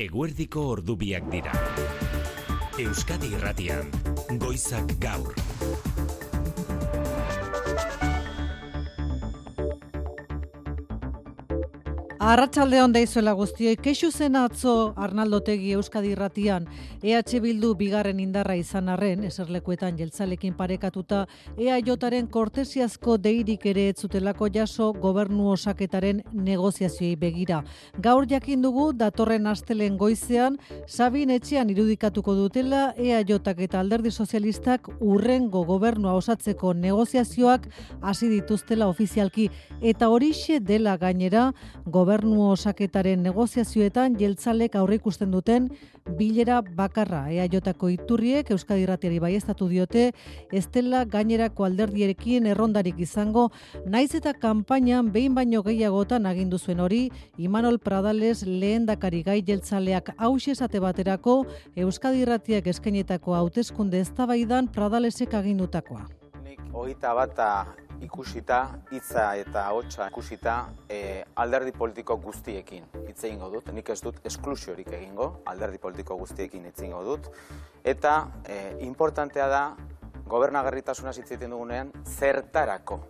Eguerdiko ordubiak dira. Euskadi Irratian, Goizak Gaur. Arratsaldeon daizuela guztioi, kexu zen atzo Arnaldo Otegi Euskadi Irratian, EH Bildu bigarren indarra izan arren, eserlekuetan jeltzalekin parekatuta, EAJaren kortesiazko deirik ere ez zutelako jaso gobernu osaketaren negoziazioei begira. Gaur jakin dugu datorren astelen goizean, Sabin etxean irudikatuko dutela EAJak eta Alderdi Sozialistak urrengo gobernua osatzeko negoziazioak hasi dituztela ofizialki, eta horixe dela gainera gobernu osaketaren negoziazioetan jeltzalek aurreikusten duten bilera bakarra. EAJko iturriek Euskadi Irratiari baieztatu diote, ez dela gainerako alderdierekin errondarik izango, naiz eta kanpainan behin baino gehiagotan agindu zuen hori, Imanol Pradales lehendakari gai jeltzaleak hauxe esate baterako Euskadi Irratiak eskainetako hauteskunde eztabaidan Pradalesek agindutakoa. Nik 21 ikusita, hitza eta ahotsa ikusita, alderdi politiko guztiekin hitz egingo dut. Nik ez dut esklusiorik egingo, alderdi politiko guztiekin hitz egingo dut. Eta importantea da, gobernagarritasuna hitz egiten dugunean, zertarako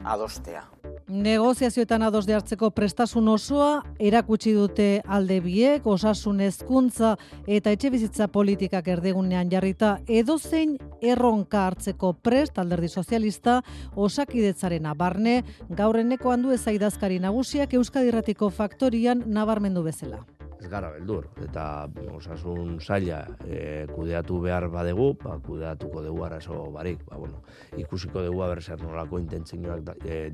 adostea. Negoziazioetan adosde hartzeko prestasun osoa erakutsi dute alde biek, osasun hezkuntza eta etxebizitza politikak erdigunean jarrita, edozein erronka hartzeko prest Alderdi Sozialista Osakidetzarena barne, gaurreneko handu ezaidazkari nagusiak Euskadi Irratiko faktorian nabarmendu bezala. Ez gara beldur, eta osasun saila kudeatu behar badegu, kudeatuko dugu arazo barik. Ikusiko dugu zer nolako intentzioak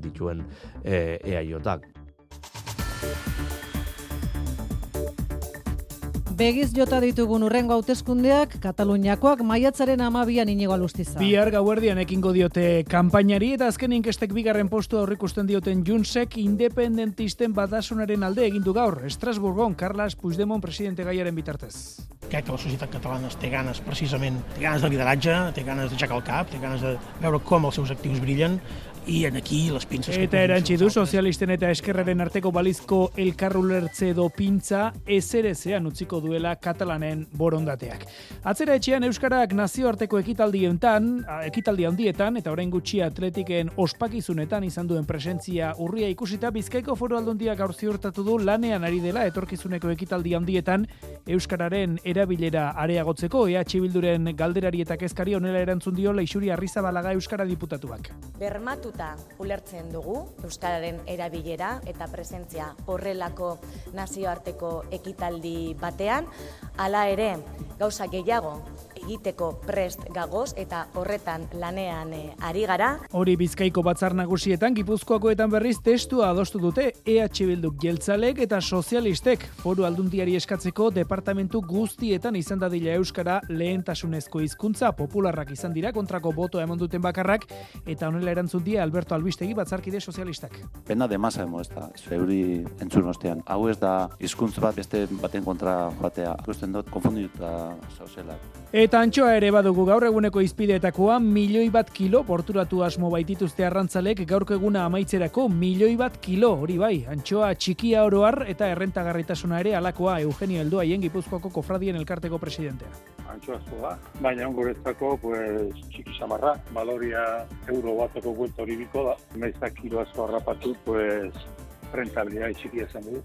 dituen EAJak. Begiz jota ditugun urrengo hauteskundeak, Kataluniakoak maiatzaren 12an Inigo Alustiza. Bihar gauerdian ekingo diote kanpainari eta azken inkestek bigarren postua aurreikusten dioten Juntsek independentisten batasunaren alde egindu gaur, Estrasburgon Carles Puigdemont presidente gaiaren bitartez. Crec que la societat catalana té ganes, precisament, té ganes de lideratge, té ganes d'aixecar el cap, té ganes de veure com els seus actius brillen, i aquí les pinces... Eta erantzi du sozialisten eta eskerraren arteko balizko elkarrulertze edo pintza ezerezean utziko duela katalanen borondateak. Atzera etxean Euskarak nazioarteko ekitaldi handietan eta orain gutxi atletiken ospakizunetan izan duen presentzia urria ikusita, Bizkaiko Foru Aldundiak gaur ziurtatu du lanean ari dela etorkizuneko ekitaldi handietan Euskararen erabilera areagotzeko. EH Bilduren galderari eta kezkari honela erantzun dio Leixuri Arrizabalaga Euskara diputatuak. Bermatuta ulertzen dugu Euskararen erabilera eta presentzia horrelako nazioarteko ekitaldi batean, hala ere gauza gehiago egiteko prest gagoz eta horretan lanean ari gara. Hori Bizkaiko batzar nagusietan, Gipuzkoakoetan berriz testua adostu dute EH Bilduk jeltzalek eta sozialistek Foru Aldundiari eskatzeko departamentu guztietan izan dadila euskara lehentasunezko hizkuntza, popularrak izan dira kontrako botoa eman duten bakarrak, eta honela erantzun die Alberto Albistegi batzarkide sozialistak. Pena de masa ez zeuri entzun ostean. Hau ez da hizkuntz bat beste baten kontra batea. Ikusten dut konfundituta zauzela. Eta antxoa ere badugu gaur eguneko izpideetakoa, 1.000.000 kilo porturatu asmo baitituzte arrantzalek gaurko eguna amaitzerako 1.000.000 kilo, hori bai, antxoa txikia oroar eta errentagarritasuna ere alakoa Eugenio Helduaien Gipuzkoako kofradien elkarteko presidentea. Antxoazkoa, baina ongoretzako txiki samarra, baloria euro bateko buelta hori biko da, naizak kilo asko harrapatu, rentabilidad txikia zen du.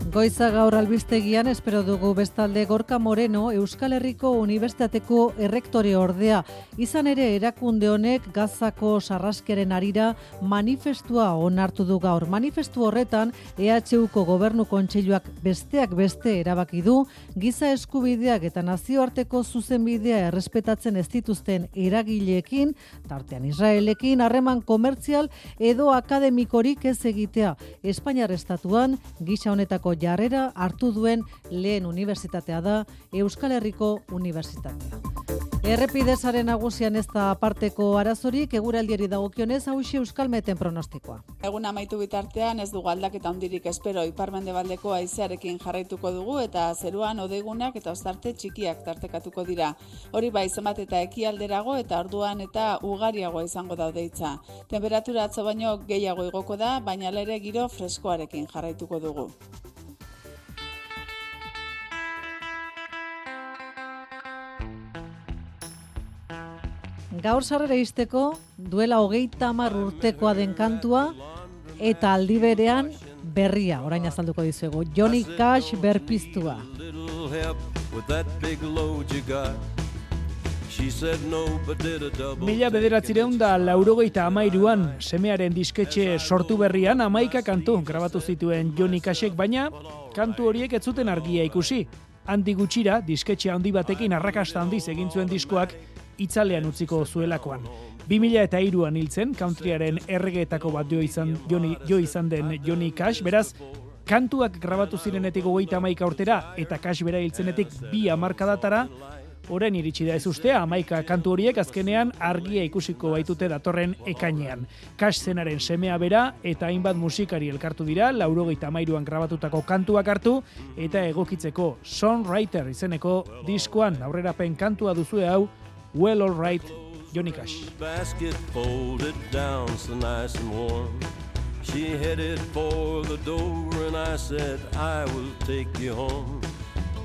Goiza gaur albistegian espero dugu bestalde Gorka Moreno Euskal Herriko Unibertsitateko errektore ordea. Izan ere erakunde honek Gazako sarraskeren harira manifestua onartu du gaur. Manifestu horretan EHUko Gobernu Kontseiluak besteak beste erabaki du giza eskubideak eta nazioarteko zuzenbidea errespetatzen ez dituzten eragileekin, tartean Israelekin, harreman komertzial edo akademikorik ez egitea. Espainiar estatuan gisa honetako jarrera hartu duen lehen unibertsitatea da Euskal Herriko Unibertsitatea. Errepidezaren nagusian ez da aparteko arazorik, eguraldiari dagokionez hauxe Euskalmeten pronostikoa. Egun amaitu bitartean ez dugu aldaketa handirik espero, ipar-mendebaldeko haizearekin jarraituko dugu eta zeruan hodeigunak eta ostarte txikiak tartekatuko dira. Hori bai, zenbat eta ekialderago eta orduan eta ugariagoa izango da hodeitza. Temperatura atzo baino gehiago igoko da, baina ere giro freskoarekin jarraituko dugu. Gaur sarrera izteko, duela 30 urtekoa den kantua, eta aldi berean berria, orain azalduko dizuegu. Johnny Cash berpiztua. Mila 1983an semearen disketxe sortu berrian 11 kantu grabatu zituen Johnny Cashek, baina kantu horiek ez zuten argia ikusi. Handi gutxira, disketxe handi batekin arrakasta handiz egin zuen diskoak itzalean utziko zuelakoan. 2003an hiltzen, countryaren erregeetako bat jo izan den Johnny Cash, beraz, kantuak grabatu zirenetik 31 urtera eta Cash bera hiltzenetik 2 hamarkadatara, orain iritsi da ez ustea, 11 kantu horiek azkenean argia ikusiko baitute datorren ekainean. Cash zenaren semea bera eta hainbat musikari elkartu dira, 93an grabatutako kantuak hartu eta egokitzeko Songwriter izeneko diskoan aurrerapen kantua duzue hau, Well All Right, Johnny Cash. Basket folded down so nice and warm. She headed for the door and I said I will take you home.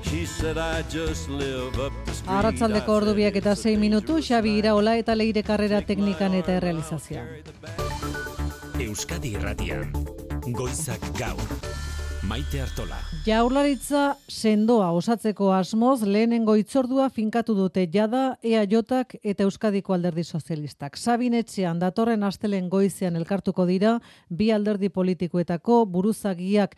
She said I just live up the street. Arratsaldeko ordubiak eta 6 minutu, Xabi Iraola eta Leire Karrera teknikan eta errealizazioan. Euskadi Irratian, Goizak Gaur. Maite Artola. Jaurlaritza sendoa osatzeko asmoz lehenengo hitzordua finkatu dute jada EAJak eta Euskadiko Alderdi Sozialistak. Sabinetxean datorren astelehen goizean elkartuko dira bi alderdi politikoetako buruzagiak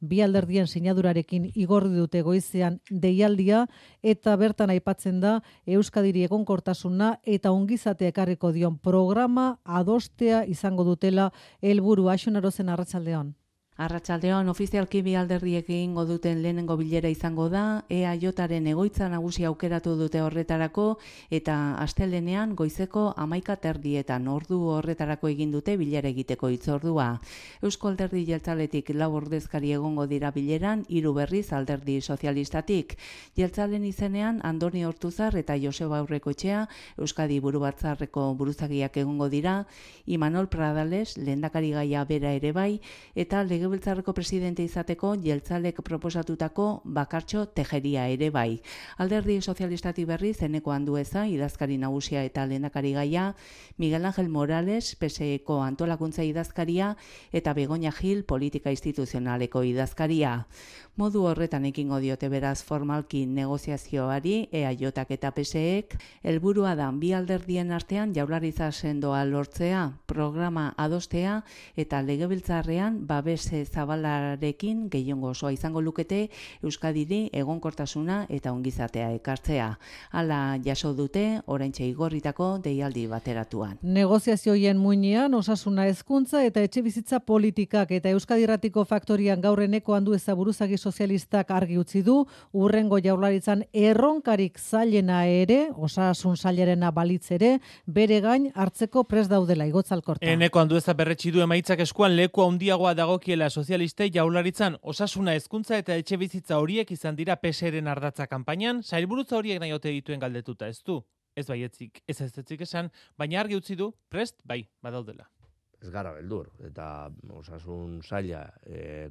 bi alderdien sinadurarekin igorri dute goizean deialdia eta bertan aipatzen da Euskadiri egonkortasuna eta ongizatea ekarriko dion programa adostea izango dutela helburu. Axonarozen arratsaldeon. Arratsaldeon, ofizialki bi alderdiek egingo duten lehenengo bilera izango da, EAJaren egoitza nagusia aukeratu dute horretarako eta astelehenean goizeko 11:30 ordu horretarako egin dute bilera egiteko hitzordua. Eusko Alderdi Jeltzaletik 4 ordezkari egongo dira bileran, 3 berriz Alderdi Sozialistatik. Jeltzalen izenean Andoni Ortuzar eta Joseba Aurrekoetxea Euskadi Burubatzarreko buruzagiak egongo dira, Imanol Pradales lehendakarigaia bera ere bai eta Legebiltzarreko presidente izateko Jeltzalek proposatutako Bakartxo Tejeria ere bai. Alderdi Sozialistatik berriz Eneko Andueza idazkari nagusia eta lehendakarigaia, Miguel Ángel Morales PSEko antolakuntza idazkaria eta Begoña Gil politika instituzionaleko idazkaria. Modu horretan ekingo diote beraz formalki negoziazioari EAJak eta PSEek, helburua da bi alderdien artean Jaurlaritza sendoa lortzea, programa adostea eta Legebiltzarrean babes zabalarekin gehiengo osoa izango lukete Euskadiri egonkortasuna eta ongizatea ekartzea. Hala jaso dute oraintxe igorritako deialdi bateratuan. Negoziazioien muinean osasuna hezkuntza eta etxebizitza politikak eta Euskadi Irratiko faktorian gaur Eneko Andueza buruzagi sozialistak argi utzi du, urrengo Jaurlaritzan erronkarik zailena ere, osasun sailerena balitz ere, bere gain hartzeko prest daudela Igotzalkorta. Eneko Andueza berretsi du emaitzak eskuan leku handiagoa dagokiela sozialistei Jaurlaritzan osasuna hezkuntza eta etxebizitza horiek izan dira PSeren ardatza kanpainan, sailburutza horiek nahi ote dituen galdetuta ez du. Ez baietzik, ez esan, baina argi utzi du prest bai badaudela. Ez gara beldur, eta osasun saila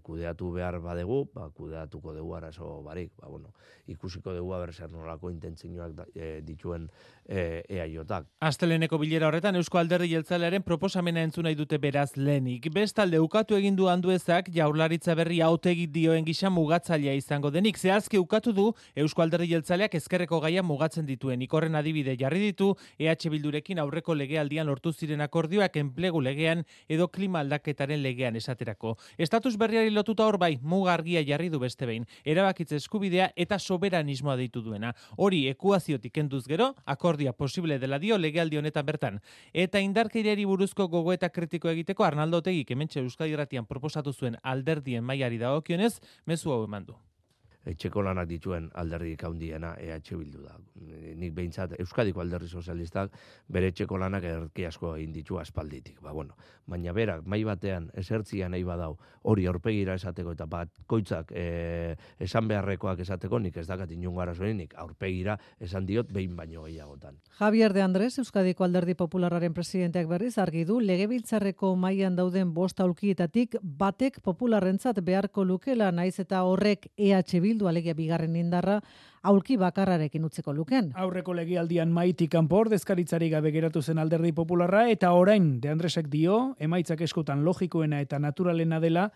kudeatu behar badegu, kudeatuko dugu arazo barik. Ikusiko dugu zer nolako intentzioak dituen EAJak. Asteleneko bilera horretan Eusko Alderdi Jeltzalearen proposamena entzun nahi dute beraz lehenik. Bestalde ukatu egin du Anduezak Jaurlaritza berri hautegi dioen gisa mugatzailea izango denik. Zehazki ukatu du Eusko Alderdi Jeltzaleak ezkerreko gaia mugatzen dituen. Ikorren adibide jarri ditu EH Bildurekin aurreko legealdian lortu ziren akordioak enplegu legean edo klima aldaketaren legean esaterako. Estatus berriari lotuta hor bai, muga argia jarri du beste behin. Erabakitze eskubidea eta soberanismoa deitu duena. Hori ekuaziotik kenduz gero, akordia posible dela dio legealdi honetan bertan. Eta indarkeriari buruzko gogoeta kritiko egiteko Arnaldo Otegik hementxe Euskadi Irratian proposatu zuen alderdien mailari dagokionez, mezu hau eman du. etxeko lanak dituen alderdik handiena EH Bildu da. Nik behintzat Euskadiko Alderdi Sozialistak bere etxeko lanak erki asko egin ditu aspalditik. Baina berak mai batean esertzia nahi badau hori aurpegira esateko eta bakoitzak esan beharrekoak esateko, nik ez dakat inongo arazorik, aurpegira esan diot behin baino gehiagotan. Javier de Andrés, Euskadiko Alderdi Popularraren presidenteak berriz argi du legebiltzarreko mailan dauden 5 aulkietatik batek popularrentzat beharko lukela, naiz eta horrek EH Bildu alegia bigarren indarra aulki bakarrarekin utziko luken. Aurreko legealdian maitik kanpo ordezkaritzari gabe geratu zen Alderdi Popularra, eta orain De Andresek dio, emaitzak eskotan logikoena eta naturalena dela,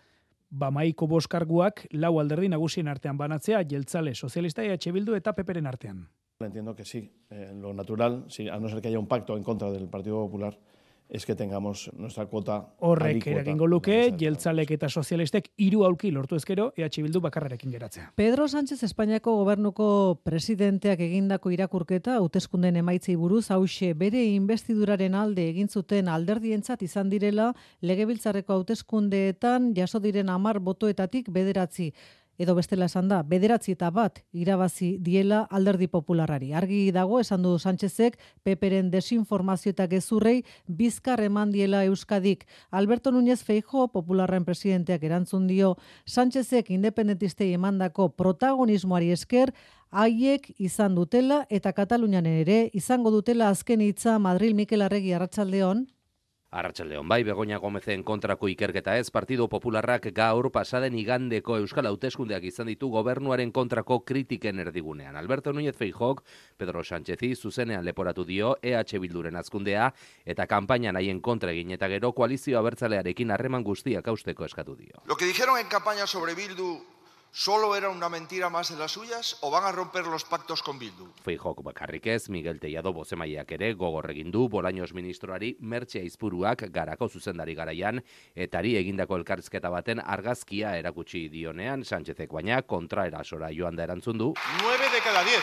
maiko boskarguak 4 alderdi nagusien artean banatzea, jeltzale, sozialista, EH Bildu eta PPren artean. Entiendo que sí, lo natural, sí, a no ser que haya un pacto en contra del Partido Popular, es que tengamos nuestra cuota. Horrek eragingo luke, jeltzalek eta sozialistek 3 aulki lortu ezkero, EH Bildu bakarrarekin geratzea. Pedro Sánchez Espainiako gobernuko presidenteak egindako irakurketa hauteskunden emaitzei buruz hauxe bere investiduraren alde egin zuten alderdientzat izan direla legebiltzarreko hauteskundeetan jaso diren 10 botoetatik 9. Edo bestela esan da, 9-1 irabazi diela Alderdi Popularrari. Argi dago, esan du Sánchezek, PPren desinformazio eta gezurrei bizkar eman diela Euskadik. Alberto Núñez Feijóo, Popularren presidenteak erantzun dio, Sánchezek independentistei emandako protagonismoari esker, haiek izan dutela eta Katalunian ere izango dutela azken hitza. Madril, Mikel Arregi, arratsaldeon. Arratsaldeon, bai, Begoña Gómezen kontrako ikerketa ez, Partido Popularrak gaur pasaden igandeko Euskal Hauteskundeak izan ditu gobernuaren kontrako kritiken erdigunean. Alberto Núñez Feijóok Pedro Sánchezi zuzenean leporatu dio EH Bilduren azkundea eta kanpainan haien kontra egin eta gero koalizio abertzalearekin harreman guztiak hausteko eskatu dio. Lo que dijeron en campaña sobre Bildu ¿solo era una mentira más de las suyas o van a romper los pactos con Bildu? Feijóok bakarrik ez, Miguel Tellado bozemaileak ere gogor egin du Bolaños ministroari Mertxe Aizpuruak Garako zuzendari garaian etari egindako elkarrizketa baten argazkia erakutsi dionean, Sánchezek baina kontraerasora joan da erantzun du. 9 de cada 10.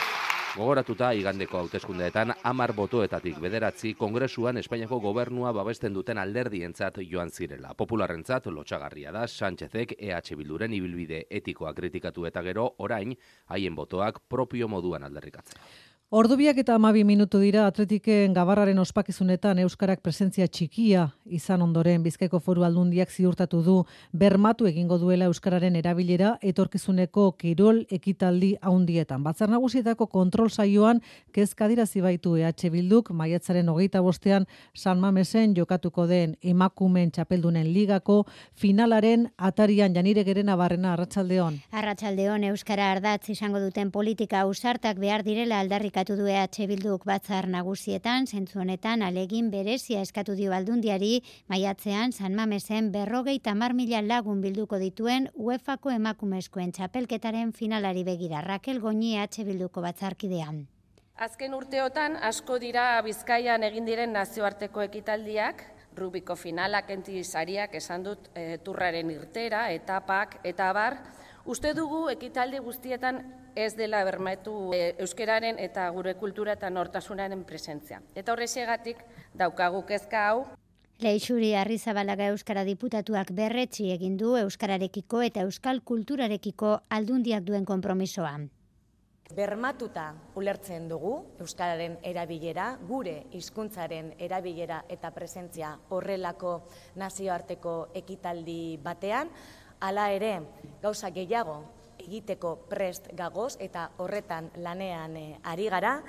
Gogoratuta igandeko hauteskundeetan 10 botoetatik 9 Kongresuan Espainiako gobernua babesten duten alderdientzat joan zirela. Popularrentzat lotsagarria da Sánchezek EH Bilduren ibilbide etikoa kritikatu eta gero orain haien botoak propio moduan aldarrikatzea. Ordubiak eta 12 minutu dira Atletiken Gabarraren ospakizunetan Euskarak presentzia txikia izan ondoren Bizkaiko Foru Aldundiak ziurtatu du bermatu egingo duela Euskararen erabilera etorkizuneko kirol ekitaldi handietan. Batzar Nagusietako kontrol saioan kezka adierazi baitu EH Bilduk maiatzaren 25ean San Mamesen jokatuko den emakumeen txapeldunen ligako finalaren atarian. Janire Gerena Barrena, arratsaldeon. Arratsaldeon, Euskara ardatz izango duten politika ausartak behar direla aldarrikatu du EH Bilduk Batzar Nagusietan, zentzu honetan alegin berezia eskatu dio Aldundiari, maiatzean San Mamesen 50.000 lagun bilduko dituen UEFako emakumezkoen txapelketaren finalari begira. Rakel Goñi, EH Bilduko batzarkidean. Azken urteotan asko dira Bizkaian egin diren nazioarteko ekitaldiak, Rubiko finalak, sariak, esan dut turraren irtera, etapak eta abar. Uste dugu ekitaldi guztietan ez dela bermatu euskararen eta gure kultura eta nortasunaren presentzia. Eta horrexegatik daukagu kezka hau. Leixuri Arrizabalaga Euskara diputatuak berretsi egin du euskararekiko eta euskal kulturarekiko Aldundiak duen konpromisoa. Bermatuta ulertzen dugu euskararen erabilera, gure hizkuntzaren erabilera eta presentzia horrelako nazioarteko ekitaldi batean, hala ere gauza gehiago egiteko prest gagoz eta horretan lanean ari gara.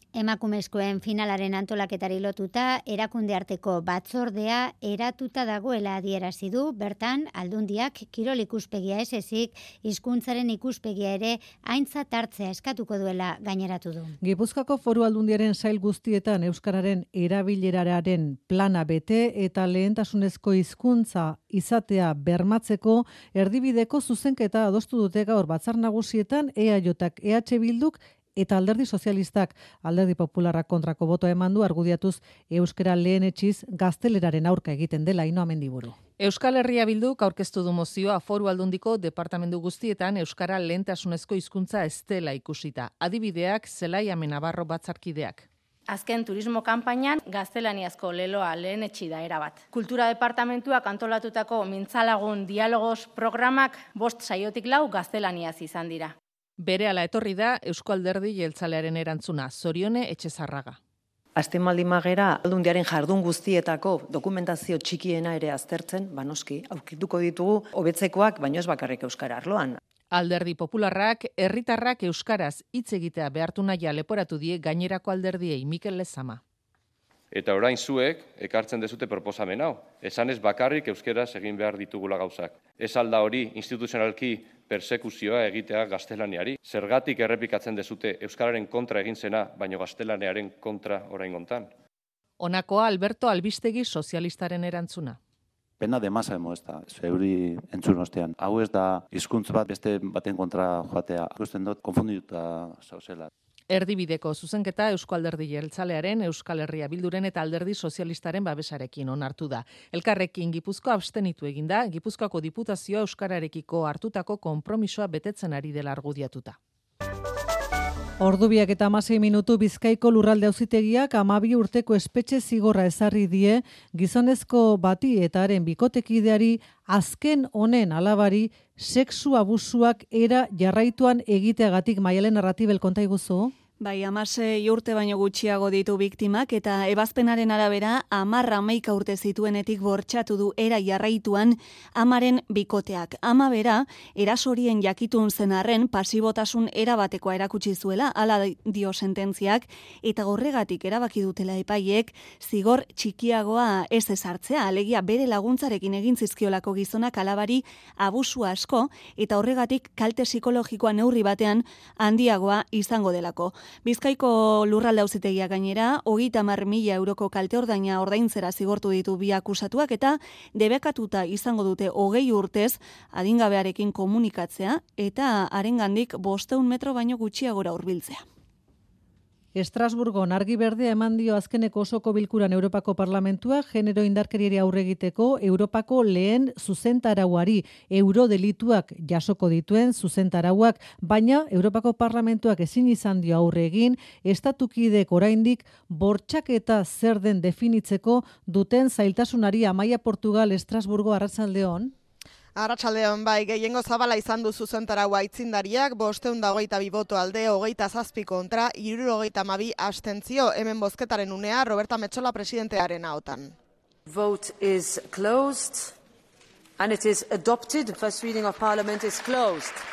Emakumezkoen finalaren antolaketari lotuta, erakunde arteko batzordea eratuta dagoela adierazi du, bertan Aldundiak kirol ikuspegia ez ezik, hizkuntzaren ikuspegia ere aintzat hartzea eskatuko duela gaineratu du. Gipuzkoako Foru Aldundiaren sail guztietan euskararen erabileraren plana bete eta lehentasunezko hizkuntza izatea bermatzeko erdibideko zuzenketa adostu dute gaur Batzar Nagusietan EAJak, EH Bilduk eta Alderdi Sozialistak. Alderdi Popularrak kontrako botoa eman du argudiatuz euskara lehenetsiz gazteleraren aurka egiten dela. Ino Amendiburu. Euskal Herria Bilduk aurkeztu du mozioa Foru Aldundiko departamentu guztietan euskara lehentasunezko hizkuntza ez dela ikusita. Adibideak Zelai Amenabarro batzarkideak. Azken turismo kanpainan gaztelaniazko leloa lehenetsi da erabat. Kultura departamentuak antolatutako mintzalagun dialogos programak 5 saiotik 4 gaztelaniaz izan dira. Berehala etorri da Eusko Alderdi Jeltzalearen erantzuna, Zorione Etxezarraga. Azten magera, Aldundiaren jardun guztietako dokumentazio txikiena ere aztertzen, noski, aurkituko ditugu hobetzekoak, baino ez bakarrik euskara arloan. Alderdi Popularrak, herritarrak euskaraz hitz egitea behartu nahia leporatu die gainerako alderdiei Mikel Lezama. Eta orain zuek ekartzen dezute proposamen hau. Esan ez bakarrik euskeraz egin behar ditugula gauzak. Ez alda hori instituzionalki persekuzioa egitea gaztelaniari. Zergatik errepikatzen dezute euskararen kontra egin zena, baino gaztelaniaren kontra orain gontan. Honakoa Alberto Albistegi sozialistaren erantzuna. Pena de masa emo ez da, zeuri entzun ostean. Hau ez da hizkuntz bat beste baten kontra joatea. Ikusten dut konfundituta zauzela. Erdibideko zuzenketa Eusko Alderdi Jeltzalearen, Euskal Herria Bilduren eta Alderdi Sozialistaren babesarekin onartu da. Elkarrekin Gipuzkoa abstenitu eginda, Gipuzkoako Diputazioa euskararekiko hartutako konpromisoa betetzen ari dela argudiatuta. Ordubiak eta 16 minutu Bizkaiko lurralde auzitegiak 12 urteko espetxe zigorra ezarri die gizonezko bati eta haren bikotekideari azken honen alabari sexu abusuak era jarraituan egiteagatik. Maialen Arratibel, konta iguzu? Bai, 16 urte baino gutxiago ditu biktimak eta ebazpenaren arabera 10-11 urte zituenetik bortxatu du era jarraituan amaren bikoteak. Ama bera, erasorien jakitun zen arren pasibotasun erabatekoa erakutsi zuela, hala dio sententziak, eta horregatik erabaki dutela epaiek zigor txikiagoa ez ezartzea, alegia bere laguntzarekin egin zizkiolako gizonak alabari abusu asko eta horregatik kalte psikologikoa neurri batean handiagoa izango delako. Bizkaiko lurralde auzitegia gainera, 30.000 euroko kalte ordaina ordaintzera zigortu ditu bi akusatuak eta debekatuta izango dute 20 urtez adingabearekin komunikatzea eta harengandik 500 metro baino gutxiagora hurbiltzea. Estrasburgon argi berdea eman dio azkeneko osoko bilkuran Europako Parlamentua genero indarkeriari aurre egiteko Europako lehen zuzentarauari, eurodelituak jasoko dituen zuzentarauak, baina Europako Parlamentuak ezin izan dio aurre egin, estatukideek oraindik bortxaketa zer den definitzeko duten zailtasunari. Amaia Portugal, Estrasburgo, arratsaldeon. Arratsaldeon, bai, gehiengo zabala izan du zuzentaraua aitzindariak, 522 boto alde, 27 kontra, 72 abstentzio. Hemen bozketaren unea, Roberta Metsola presidentearen ahotan. Vote is closed and it is adopted. The first reading of Parliament is closed.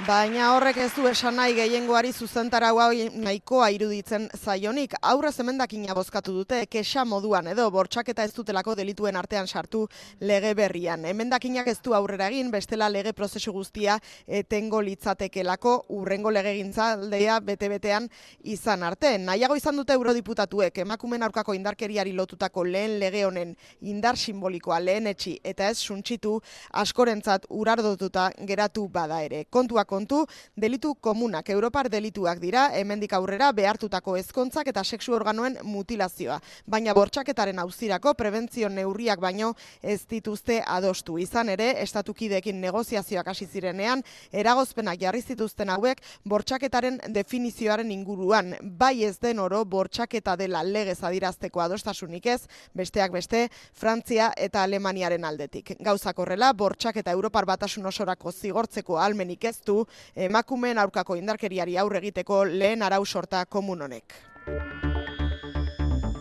Baina horrek ez du esan nahi gehiengoari zuzentaraua nahikoa iruditzen zaionik. Aurrez emendakina bozkatu dute, kexa moduan edo bortxaketa ez dutelako delituen artean sartu lege berrian. Emendakinak ez du aurrera egin, bestela lege prozesu guztia etengo litzatekelako urrengo legegintzaldea bete-betean izan arte. Nahiago izan dute eurodiputatuek emakumeen aurkako indarkeriari lotutako lehen lege honen indar simbolikoa lehenetsi eta ez suntsitu askorentzat urardotuta geratu bada ere. Kontu, delitu komunak, Europar delituak dira, hemendik aurrera behartutako ezkontzak eta sexu organoen mutilazioa. Baina bortxaketaren auzirako prebentzio neurriak baino ez dituzte adostu. Izan ere, estatukideekin negoziazioak hasi zirenean, eragozpenak jarri zituzten hauek bortxaketaren definizioaren inguruan. Bai ez den oro bortxaketa dela legez adirazteko adostasunik ez, besteak beste, Frantzia eta Alemaniaren aldetik. Gauzak horrela, bortxaketa Europar Batasun osorako zigortzeko ahalmenik ez du emakumeen aurkako indarkeriari aurre egiteko lehen arau sorta komun honek.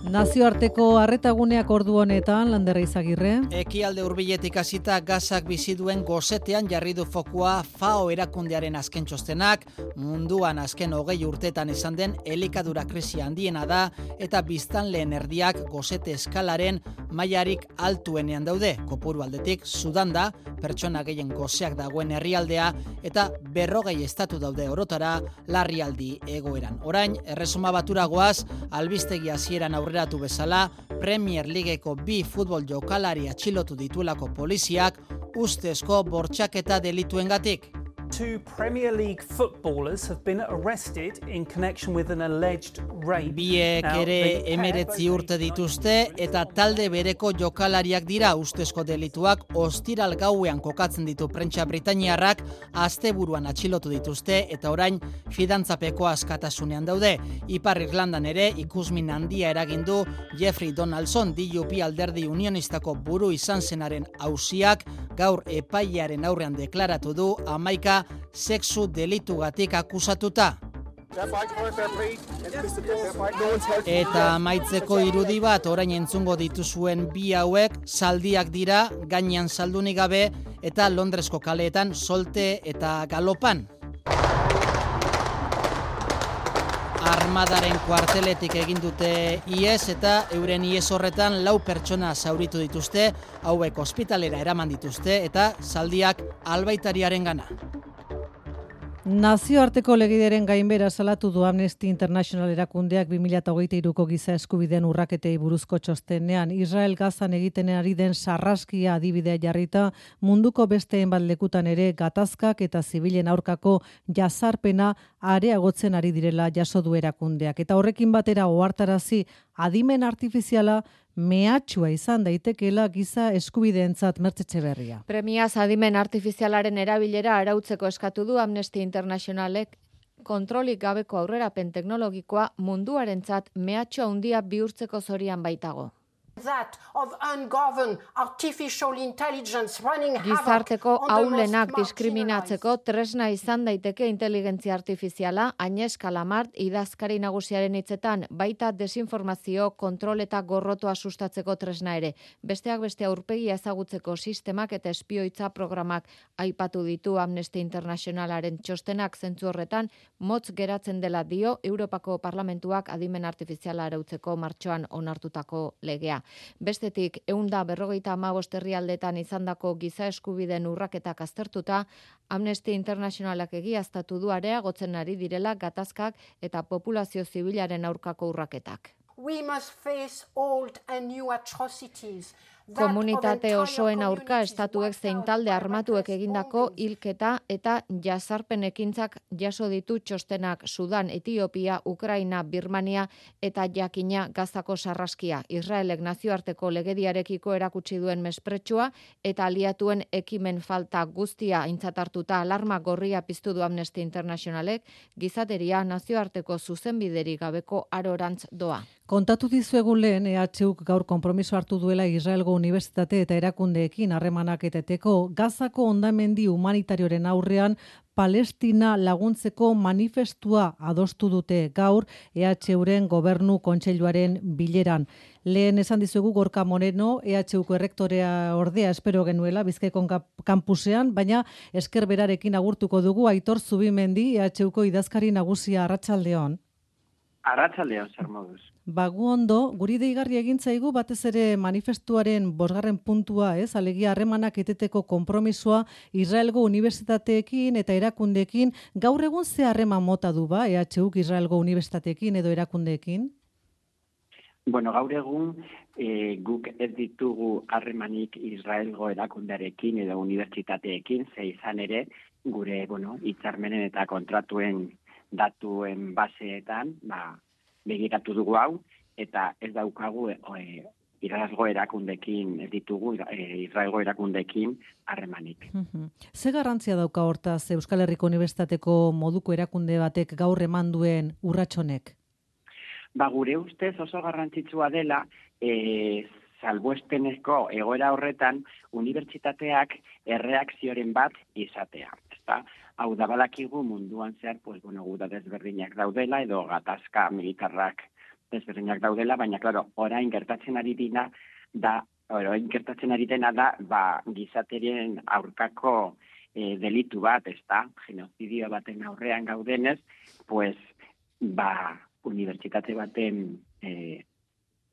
Nazioarteko arretaguneak ordu honetan, Lander Izagirre. Ekialde hurbiletik hasita gazak bizi duen gosetean jarri du fokua FAO erakundearen azken txostenak, munduan azken 20 urtetan izan den elikadura krisia handiena da eta biztanleen erdiak gosete eskalaren mailarik altuenean daude. Kopuru aldetik Sudan da, pertsona gehien goseak dagoen herrialdea eta 40 estatu daude orotara larrialdi egoeran. Orain, Erresuma Batura goaz, albistegi hasieran aurreratu bezala, Premier Ligeko 2 futbol jokalari atxilotu dituelako poliziak ustezko bortxaketa delituengatik. 2 Premier League footballers have been arrested in connection with an alleged rape. Biek ere 19 urte dituzte eta talde bereko jokalariak dira. Ustezko delituak ostiral gauean kokatzen ditu prentsa britainiarrak, asteburuan atxilotu dituzte eta orain fidantzapeko askatasunean daude. Ipar Irlandan ere ikusmin handia eragin du Jeffrey Donaldson, DUP alderdi unionistako buru izan zenaren auziak gaur epailearen aurrean deklaratu du 11 dira sexu delitugatik akusatuta. Eta amaitzeko irudi bat orain entzungo dituzuen bi hauek zaldiak dira, gainean saldunik gabe eta Londresko kaleetan solte eta galopan. Armadaren kuarteletik egin dute ihes eta euren ihes horretan 4 pertsona zauritu dituzte, hauek ospitalera eraman dituzte eta zaldiak albaitariarengana. Nazioarteko legideren gainbera salatu du Amnesty International erakundeak 2023ko giza eskubideen urraketei buruzko txostenean. Israel Gazan egiten ari den sarraskia adibidea jarrita, munduko beste hainbat lekutan ere gatazkak eta zibilen aurkako jazarpena areagotzen ari direla jaso du erakundeak. Eta horrekin batera ohartarazi adimen artifiziala mehatxua izan daitekeela giza eskubideentzat. Mertxe Etxeberria. Premiaz adimen artifizialaren erabilera arautzeko eskatu du Amnesty Internationalek kontrolik gabeko aurrerapen teknologikoa munduarentzat mehatxu handia bihurtzeko zorian baitago. Gizarteko aulenak diskriminatzeko tresna izan daiteke inteligentzia artifiziala, Agnès Calamart idazkari nagusiaren hitzetan, baita desinformazio, kontrol eta gorrotoa sustatzeko tresna ere. Besteak beste aurpegia ezagutzeko sistemak eta espioitza programak aipatu ditu Amnesty Internationalaren txostenak. Zentzu horretan, motz geratzen dela dio Europako Parlamentuak adimen artifiziala arautzeko martxoan onartutako legea. Bestetik, 155 herrialdetan izandako giza eskubideen urraketak aztertuta, Amnesty Internationalak egiaztatu du areagotzen ari direla gatazkak eta populazio zibilaren aurkako urraketak. Komunitate osoen aurka estatuek zein talde armatuek egindako hilketa eta jazarpen ekintzak jaso ditu txostenak Sudan, Etiopia, Ukraina, Birmania eta jakina Gazako sarraskia. Israelek nazioarteko legediarekiko erakutsi duen mespretxua eta aliatuen ekimen falta guztia aintzat hartuta alarma gorria piztu du Amnesty Internationalek, gizateria nazioarteko zuzenbideri gabeko arorantz doa. Kontatu dizuegu lehen EHUk gaur konpromiso hartu duela Israelgo unibertsitate eta erakundeekin harremanak eteteko Gazako hondamendi humanitarioren aurrean Palestina laguntzeko manifestua adostu dute gaur EHUren gobernu kontseiluaren bileran. Lehen esan dizuegu Gorka Moreno, EHUko errektorea ordea espero genuela Bizkaiko kampusean, baina esker berarekin agurtuko dugu. Aitor Zubimendi, EHUko idazkari nagusia, arratsaldeon. Arratsaldeon, zer moduz. Gu ondo, guri deigarri egin zaigu batez ere manifestuaren 5. puntua, alegia harremanak eteteko konpromisoa Israelgo unibertsitateekin eta erakundeekin. Gaur egun ze harreman mota du EHUk Israelgo unibertsitateekin edo erakundeekin? Bueno, gaur egun guk ez ditugu harremanik Israelgo erakundearekin edo unibertsitateekin, ze izan ere gure hitzarmenen eta kontratuen datuen baseetan, begiratu dugu hau, eta ez daukagu Israelgo erakundekin, ez ditugu Israelgo erakundekin harremanik. Ze garrantzia dauka hortaz Euskal Herriko Unibertsitateko moduko erakunde batek gaur eman duen urratsonek? Gure ustez oso garrantzitsua dela, salbuespenezko egoera horretan, unibertsitateak erreakzioren bat izatea. Hau da badakigu munduan zehar, guda desberdinak daudela, edo gatazka militarrak desberdinak daudela, baina, orain gertatzen ari dena da, gizaterien aurkako delitu bat, genozidio baten aurrean gaudenez, unibertsitate baten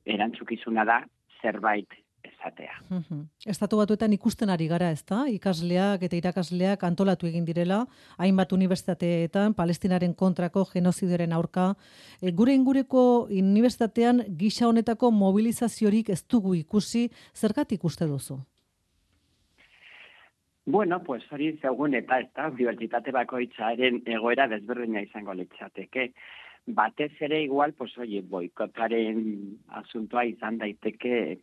erantzukizuna da zerbait esatea. Estatu Batuetan ikusten ari gara, ezta? Ikasleak eta irakasleak antolatu egin direla, hainbat unibertsitateetan Palestinaren kontrako genozidioaren aurka. Gure ingureko unibertsitatean gisa honetako mobilizaziorik ez dugu ikusi, zergatik uste duzu? Bueno, hori zegoen eta unibertsitate bakoitzaren egoera desberdina izango litzateke. Batez ere igual, boikotaren asuntoa izan daiteke,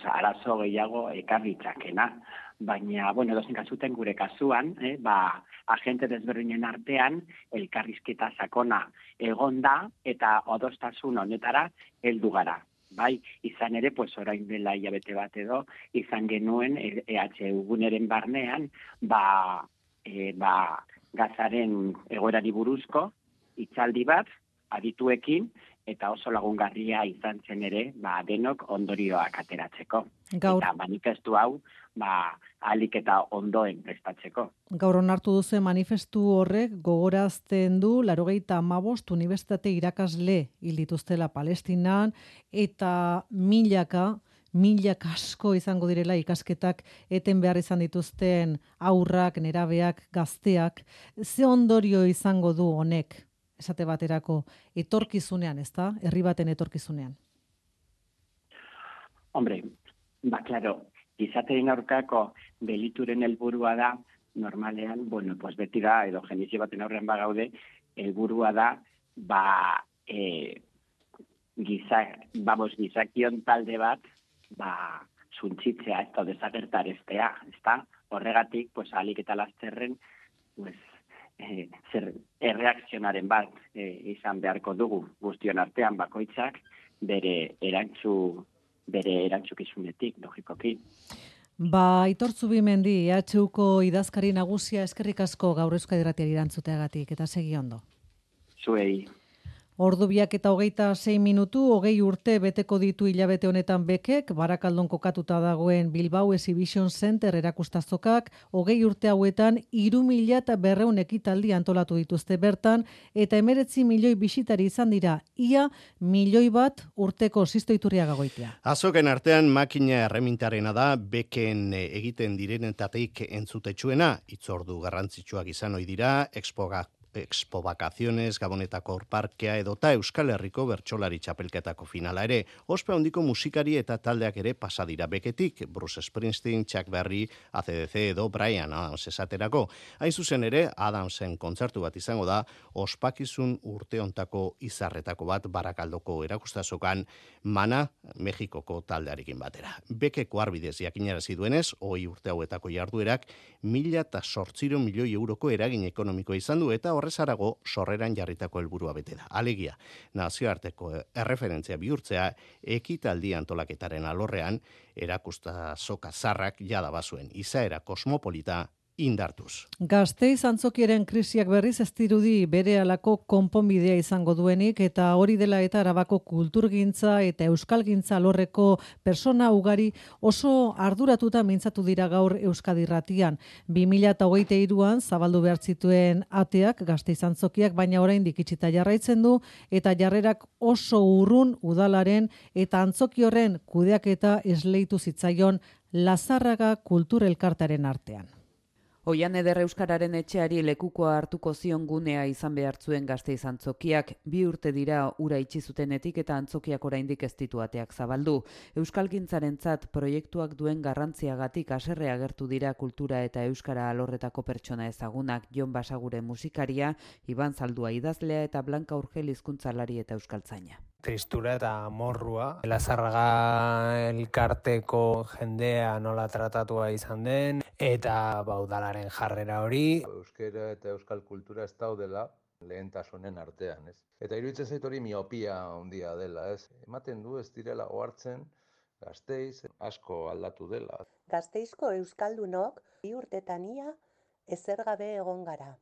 arazo gehiago ekarritzakena. Baina, dozen kasuten gure kasuan, agente desberdinen artean, elkarrizketa sakona egonda eta adostasun honetara heldu gara. Bai, izan ere, pues orain dela hilabete bat edo, izan genuen EHU guneren barnean, gazaren egoerari buruzko hitzaldi bat adituekin, eta oso lagungarria izan zen ere, denok ondorioak ateratzeko. Gaur. Eta manifestu hau, ahalik eta ondoen prestatzeko. Gaur onartu duzu manifestu horrek gogorazten du 95 unibertsitate irakasle hil dituztela Palestinan, eta milaka asko izango direla ikasketak eten behar izan dituzten aurrak, nerabeak, gazteak. Ze ondorio izango du honek, esate baterako, etorkizunean, ezta? Herri baten etorkizunean. Hombre, claro, izatearen aurkako delituren helburua da, normalean, pues beti da, edo genizio baten aurrean bagaude, helburua da, gizakion talde bat, suntzitzea, ez da, desagertarestea, ez da? Horregatik, ahalik eta lasterren, erreakzionaren bat izan beharko dugu guztion artean bakoitzak bere erantzukizunetik, logikoki. Aitor Zubimendi, EHUko idazkari nagusia, eskerrik asko gaur Euskadi Irratiari erantzuteagatik, eta segi ondo. Zuei. Ordu 2:26 minutu, 20 urte beteko ditu hilabete honetan Bekek, Barakaldon kokatuta dagoen Bilbao Exhibition Center erakustazokak, 20 urte hauetan 3.200 ekitaldi antolatu dituzte bertan, eta 19 milioi bisitari izan dira, ia 1 milioi bat urteko Sisto Iturriaga Goitia. Azoken artean makina erremintarena da Beken egiten direnetatik entzutetsuena, hitzordu garrantzitsuak izan ohi dira, Expo Vacaciones, Gabonetako Parkea edota Euskal Herriko bertsolari txapelketako finala ere. Ospe handiko musikari eta taldeak ere pasadira Beketik, Bruce Springsteen, Chuck Berry, AC/DC edo Bryan Adams esaterako. Hain zuzen ere, Adamsen kontzertu bat izango da, ospakizun urteontako izarretako bat Barakaldoko erakustazokan Mana, Mexikoko taldearekin batera. Bekeko arbidez jakinarazi duenez, 20 urte hauetako jarduerak 1.800 milioi euroko eragin ekonomikoa izan du eta horrezarago sorreran jarritako helburua bete da. Alegia, nazioarteko erreferentzia bihurtzea ekitaldi antolaketaren alorrean erakustazoka zarrak jada bazuen izaera kosmopolita indartuz. Gasteiz antzokiaren krisiak berriz ez dirudi berehalako konponbidea izango duenik, eta hori dela eta Arabako kulturgintza eta euskalgintza alorreko persona ugari oso arduratuta mintzatu dira gaur Euskadi Irratian. 2023an zabaldu behar zituen ateak Gasteiz antzokiak, baina oraindik itxita jarraitzen du, eta jarrerak oso urrun udalaren eta antzoki horren kudeaketa esleitu zitzaion Lazarraga Kulturelkartearen artean. Oian eder euskararen etxeari lekukoa hartuko zion gunea izan behartzuen Gasteiz antzokiak, 2 urte dira ura itxi zutenetik eta antzokiak oraindik ez ditu ateak zabaldu. Euskalgintzarentzat proiektuak duen garrantziagatik haserre agertu dira kultura eta euskara alorretako pertsona ezagunak, Jon Basagure musikaria, Iban Zaldua idazlea eta Blanka Urgel hizkuntzalari eta euskaltzaina. Tristura eta morrua. Lazarraga elkarteko jendea nola tratatua izan den, eta udalaren jarrera hori. Euskera eta euskal kultura ez daudela lehentasunen artean, ez? Eta iruditzen zait hori miopia handia dela, ez? Ematen du ez direla ohartzen Gasteiz asko aldatu dela. Gasteizko euskaldunok 2 urtetan ia ezer gabe egon gara.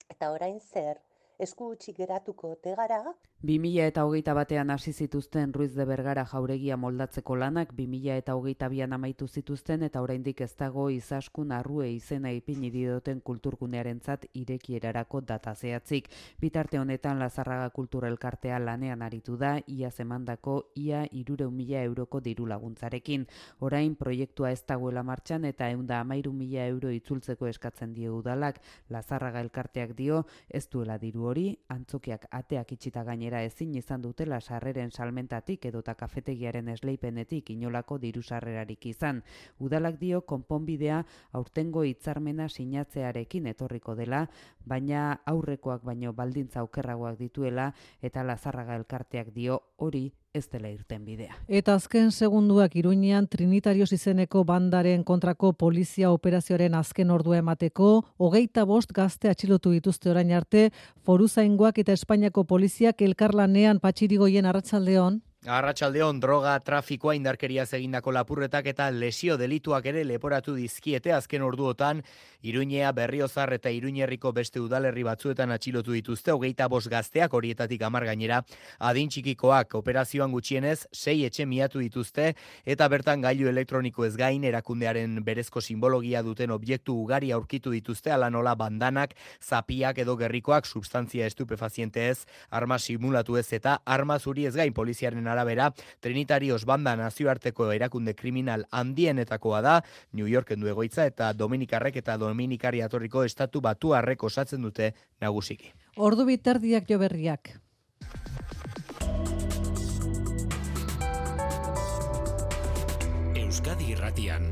Eta orain zer? Esku utzi geratuko ote gara? 2021an hasi zituzten Ruiz de Bergara jauregia moldatzeko lanak 2022an amaitu zituzten eta oraindik ez dago Izaskun Arrue izena ipini dioten kulturgunearentzat irekierarako data zehatzik. Bitarte honetan Lazarraga Kulturelkartea lanean aritu da iaz emandako ia 300.000 euroko diru laguntzarekin. Orain proiektua ez dagoela martxan eta 113.000 euro itzultzeko eskatzen dio udalak. Lazarraga elkarteak dio ez duela diru hori, antzokiak ateak itxita gainera ezin izan dutela sarreren salmentatik edota kafetegiaren esleipenetik inolako diru sarrerarik izan. Udalak dio konponbidea aurtengo hitzarmena sinatzearekin etorriko dela, baina aurrekoak baino baldintza okerragoak dituela eta Lazarraga elkarteak dio hori ez dela irten bidea. Eta azken segunduak Iruñean Trinitarios izeneko bandaren kontrako polizia operazioaren azken ordua emateko, 25 gazte atxilotu dituzte orain arte, Foruzaingoak eta Espainiako poliziak elkarlanean. Patxirigoien arratsaldeon. Arratsaldeon, droga trafikoa indarkeriaz egindako lapurretak eta lesio delituak ere leporatu dizkiete azken orduotan Iruñea, Berriozar eta Iruñerriko beste udalerri batzuetan atxilotu dituzte 25 gazteak, horietatik 10 gainera adin txikikoak. Operazioan gutxienez 6 etxe miatu dituzte eta bertan gailu elektroniko ez gain erakundearen berezko simbologia duten objektu ugari aurkitu dituzte, ala nola bandanak, zapiak edo gerrikoak, substantzia estupefaziente ez, arma simulatu ez eta arma zuri ez gain. Poliziaren arabera, Trinitarios banda nazioarteko erakunde kriminal handienetakoa da, New Yorken du egoitza eta Dominikarrek eta Dominikari atorriko estatu batuarrek osatzen dute nagusiki. Ordu biterdiak jo berriak. Euskadi Irratian,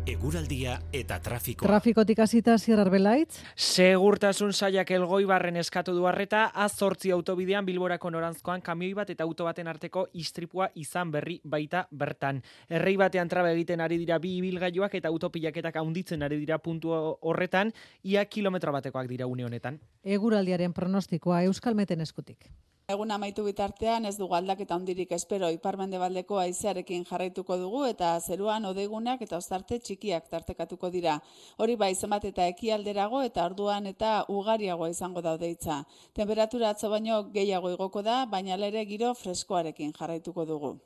eguraldia eta trafikoa. Trafikotik hasita Asier Arbelaitz. Segurtasun sailak Elgoibarren eskatu du arreta, A8 autobidean Bilborako noranzkoan kamioi bat eta auto baten arteko istripua izan berri baita bertan. Errei batean traba egiten ari dira bi ibilgailuak eta autopilaketak handitzen ari dira puntu horretan, ia kilometro batekoak dira une honetan. Eguraldiaren pronostikoa Euskalmeten eskutik. Egun amaitu bitartean ez dugu aldaketa handirik espero, ipar-mendebaldeko haizearekin jarraituko dugu eta zeruan hodeigunak eta ostarte txikiak tartekatuko dira. Hori bai, zenbat eta ekialderago eta orduan eta ugariagoa izango da hodeitza. Temperatura atzo baino gehiago igoko da, baina ere giro freskoarekin jarraituko dugu.